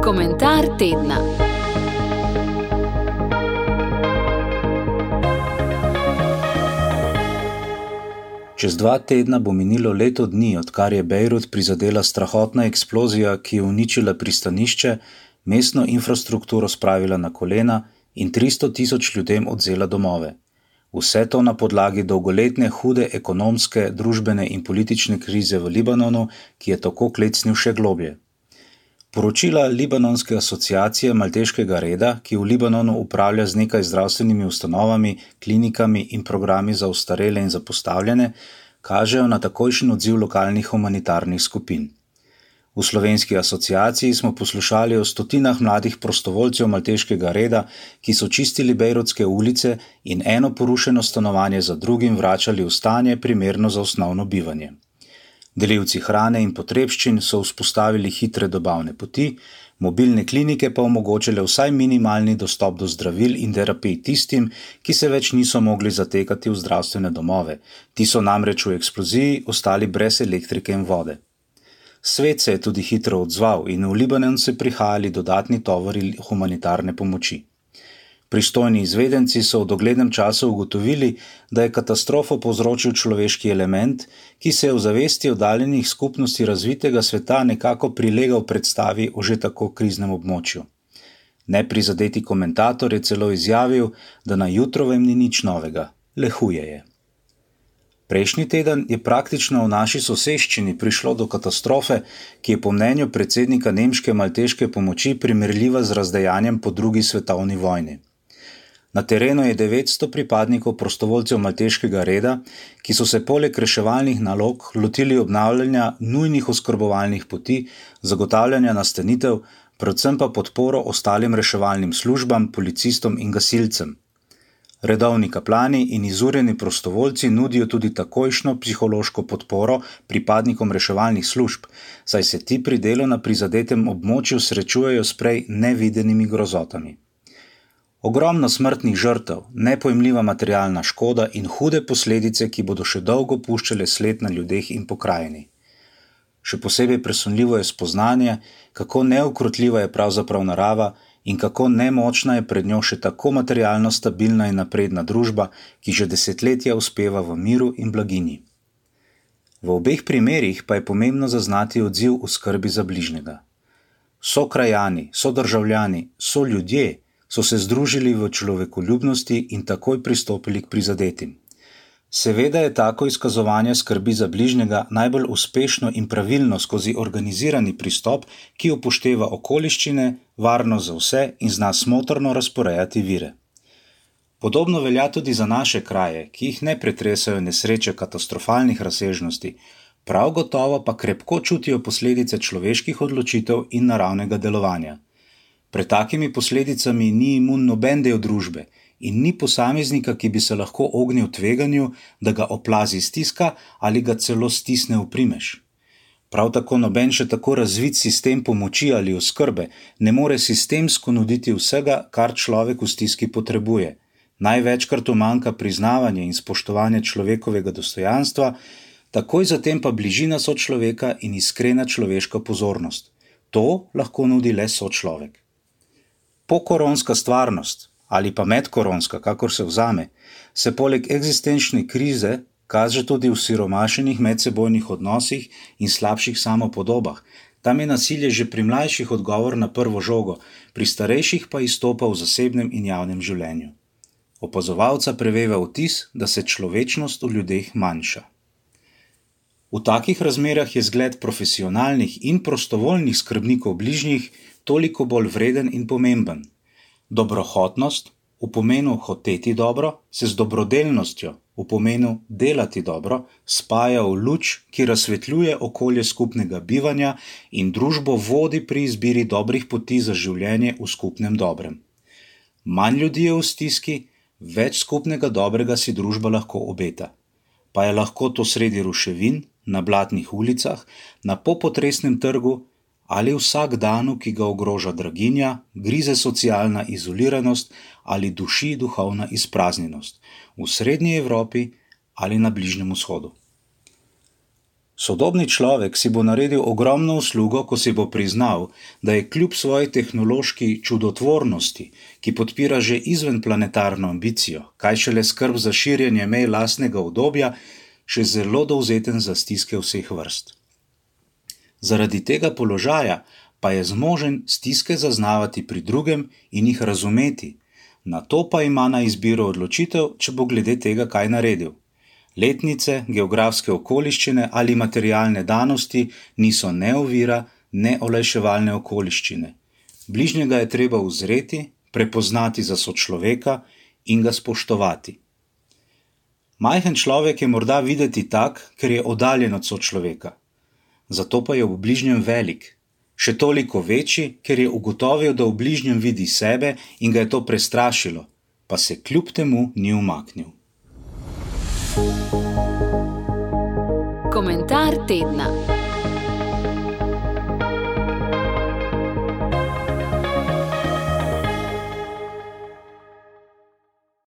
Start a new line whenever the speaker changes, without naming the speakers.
Komentar tedna.
Čez 2 tedna bo minilo leto dni, odkar je Bejrut prizadela strahotna eksplozija, ki je uničila pristanišče, mestno infrastrukturo spravila na kolena in 300.000 ljudem odvzela domove. Vse to na podlagi dolgoletne hude ekonomske, družbene in politične krize v Libanonu, ki je tako klecnil še globlje. Poročila Libanonske asociacije Malteškega reda, ki v Libanonu upravlja z nekaj zdravstvenimi ustanovami, klinikami in programi za ostarele in zapostavljene, kažejo na takojšen odziv lokalnih humanitarnih skupin. V slovenski asociaciji smo poslušali o stotinah mladih prostovoljcev Malteškega reda, ki so čistili bejrutske ulice in eno porušeno stanovanje za drugim vračali v stanje primerno za osnovno bivanje. Delivci hrane in potrebščin so vzpostavili hitre dobavne poti, mobilne klinike pa omogočile vsaj minimalni dostop do zdravil in terapij tistim, ki se več niso mogli zatekati v zdravstvene domove. Ti so namreč v eksploziji ostali brez elektrike in vode. Svet se je tudi hitro odzval in v Libanon so prihajali dodatni tovori humanitarne pomoči. Pristojni izvedenci so v doglednem času ugotovili, da je katastrofo povzročil človeški element, ki se je v zavesti oddaljenih skupnosti razvitega sveta nekako prilegal predstavi o že tako kriznem območju. Neprizadeti komentator je celo izjavil, da na jutrovem ni nič novega, le huje je. Prejšnji teden je praktično v naši soseščini prišlo do katastrofe, ki je po mnenju predsednika nemške malteške pomoči primerljiva z razdejanjem po drugi svetovni vojni. Na terenu je 900 pripadnikov prostovoljcev Malteškega reda, ki so se poleg reševalnih nalog lotili obnavljanja nujnih oskrbovalnih poti, zagotavljanja nastanitev, predvsem pa podporo ostalim reševalnim službam, policistom in gasilcem. Redovni kaplani in izurjeni prostovoljci nudijo tudi takojšnjo psihološko podporo pripadnikom reševalnih služb, saj se ti pri delu na prizadetem območju srečujejo s prej nevidenimi grozotami. Ogromno smrtnih žrtev, nepojmljiva materialna škoda in hude posledice, ki bodo še dolgo puščale sled na ljudeh in pokrajini. Še posebej presunljivo je spoznanje, kako neukrotljiva je pravzaprav narava in kako nemočna je pred njo še tako materialno stabilna in napredna družba, ki že desetletja uspeva v miru in blaginji. V obeh primerih pa je pomembno zaznati odziv v skrbi za bližnjega. Sokrajani, sodržavljani, soljudje so se združili v človekoljubnosti in takoj pristopili k prizadetim. Seveda je tako izkazovanje skrbi za bližnjega najbolj uspešno in pravilno skozi organizirani pristop, ki upošteva okoliščine, varnost za vse in zna smotrno razporejati vire. Podobno velja tudi za naše kraje, ki jih ne pretresajo nesreče katastrofalnih razsežnosti, prav gotovo pa krepko čutijo posledice človeških odločitev in naravnega delovanja. Pred takimi posledicami ni imun noben del družbe in ni posameznika, ki bi se lahko ognil tveganju, da ga oplazi stiska ali ga celo stisne v primež. Prav tako noben še tako razvit sistem pomoči ali oskrbe ne more sistemsko nuditi vsega, kar človek v stiski potrebuje. Največkrat umanjka priznavanje in spoštovanje človekovega dostojanstva, takoj zatem pa bližina sočloveka in iskrena človeška pozornost. To lahko nudi le sočlovek. Pokoronska stvarnost, ali pa medkoronska, kakor se vzame, se poleg eksistenčne krize kaže tudi v siromašenih medsebojnih odnosih in slabših samopodobah. Tam je nasilje že pri mlajših odgovor na prvo žogo, pri starejših pa izstopa v zasebnem in javnem življenju. Opazovalca preveva vtis, da se človečnost v ljudeh manjša. V takih razmerah je zgled profesionalnih in prostovoljnih skrbnikov bližnjih toliko bolj vreden in pomemben. Dobrohotnost v pomenu hoteti dobro se z dobrodelnostjo v pomenu delati dobro spaja v luč, ki razsvetljuje okolje skupnega bivanja in družbo vodi pri izbiri dobrih poti za življenje v skupnem dobrem. Manj ljudi je v stiski, več skupnega dobrega si družba lahko obeta. Pa je lahko to sredi ruševin, na blatnih ulicah, na popotresnem trgu ali vsak danu, ki ga ogroža draginja, grize socialna izoliranost ali duši duhovna izpraznjenost v Srednji Evropi ali na Bližnjem vzhodu. Sodobni človek si bo naredil ogromno uslugo, ko si bo priznal, da je kljub svoji tehnološki čudotvornosti, ki podpira že izvenplanetarno ambicijo, kaj šele skrb za širjenje mej lastnega udobja, še zelo dovzeten za stiske vseh vrst. Zaradi tega položaja pa je zmožen stiske zaznavati pri drugem in jih razumeti, na to pa ima na izbiro odločitev, če bo glede tega kaj naredil. Letnice, geografske okoliščine ali materialne danosti niso ne ovira, ne olajševalne okoliščine. Bližnjega je treba uzreti, prepoznati za sočloveka in ga spoštovati. Majhen človek je morda videti tak, ker je oddaljen od sočloveka. Zato pa je v bližnjem velik. Še toliko večji, ker je ugotovil, da v bližnjem vidi sebe in ga je to prestrašilo, pa se kljub temu ni umaknil.
Komentar tedna.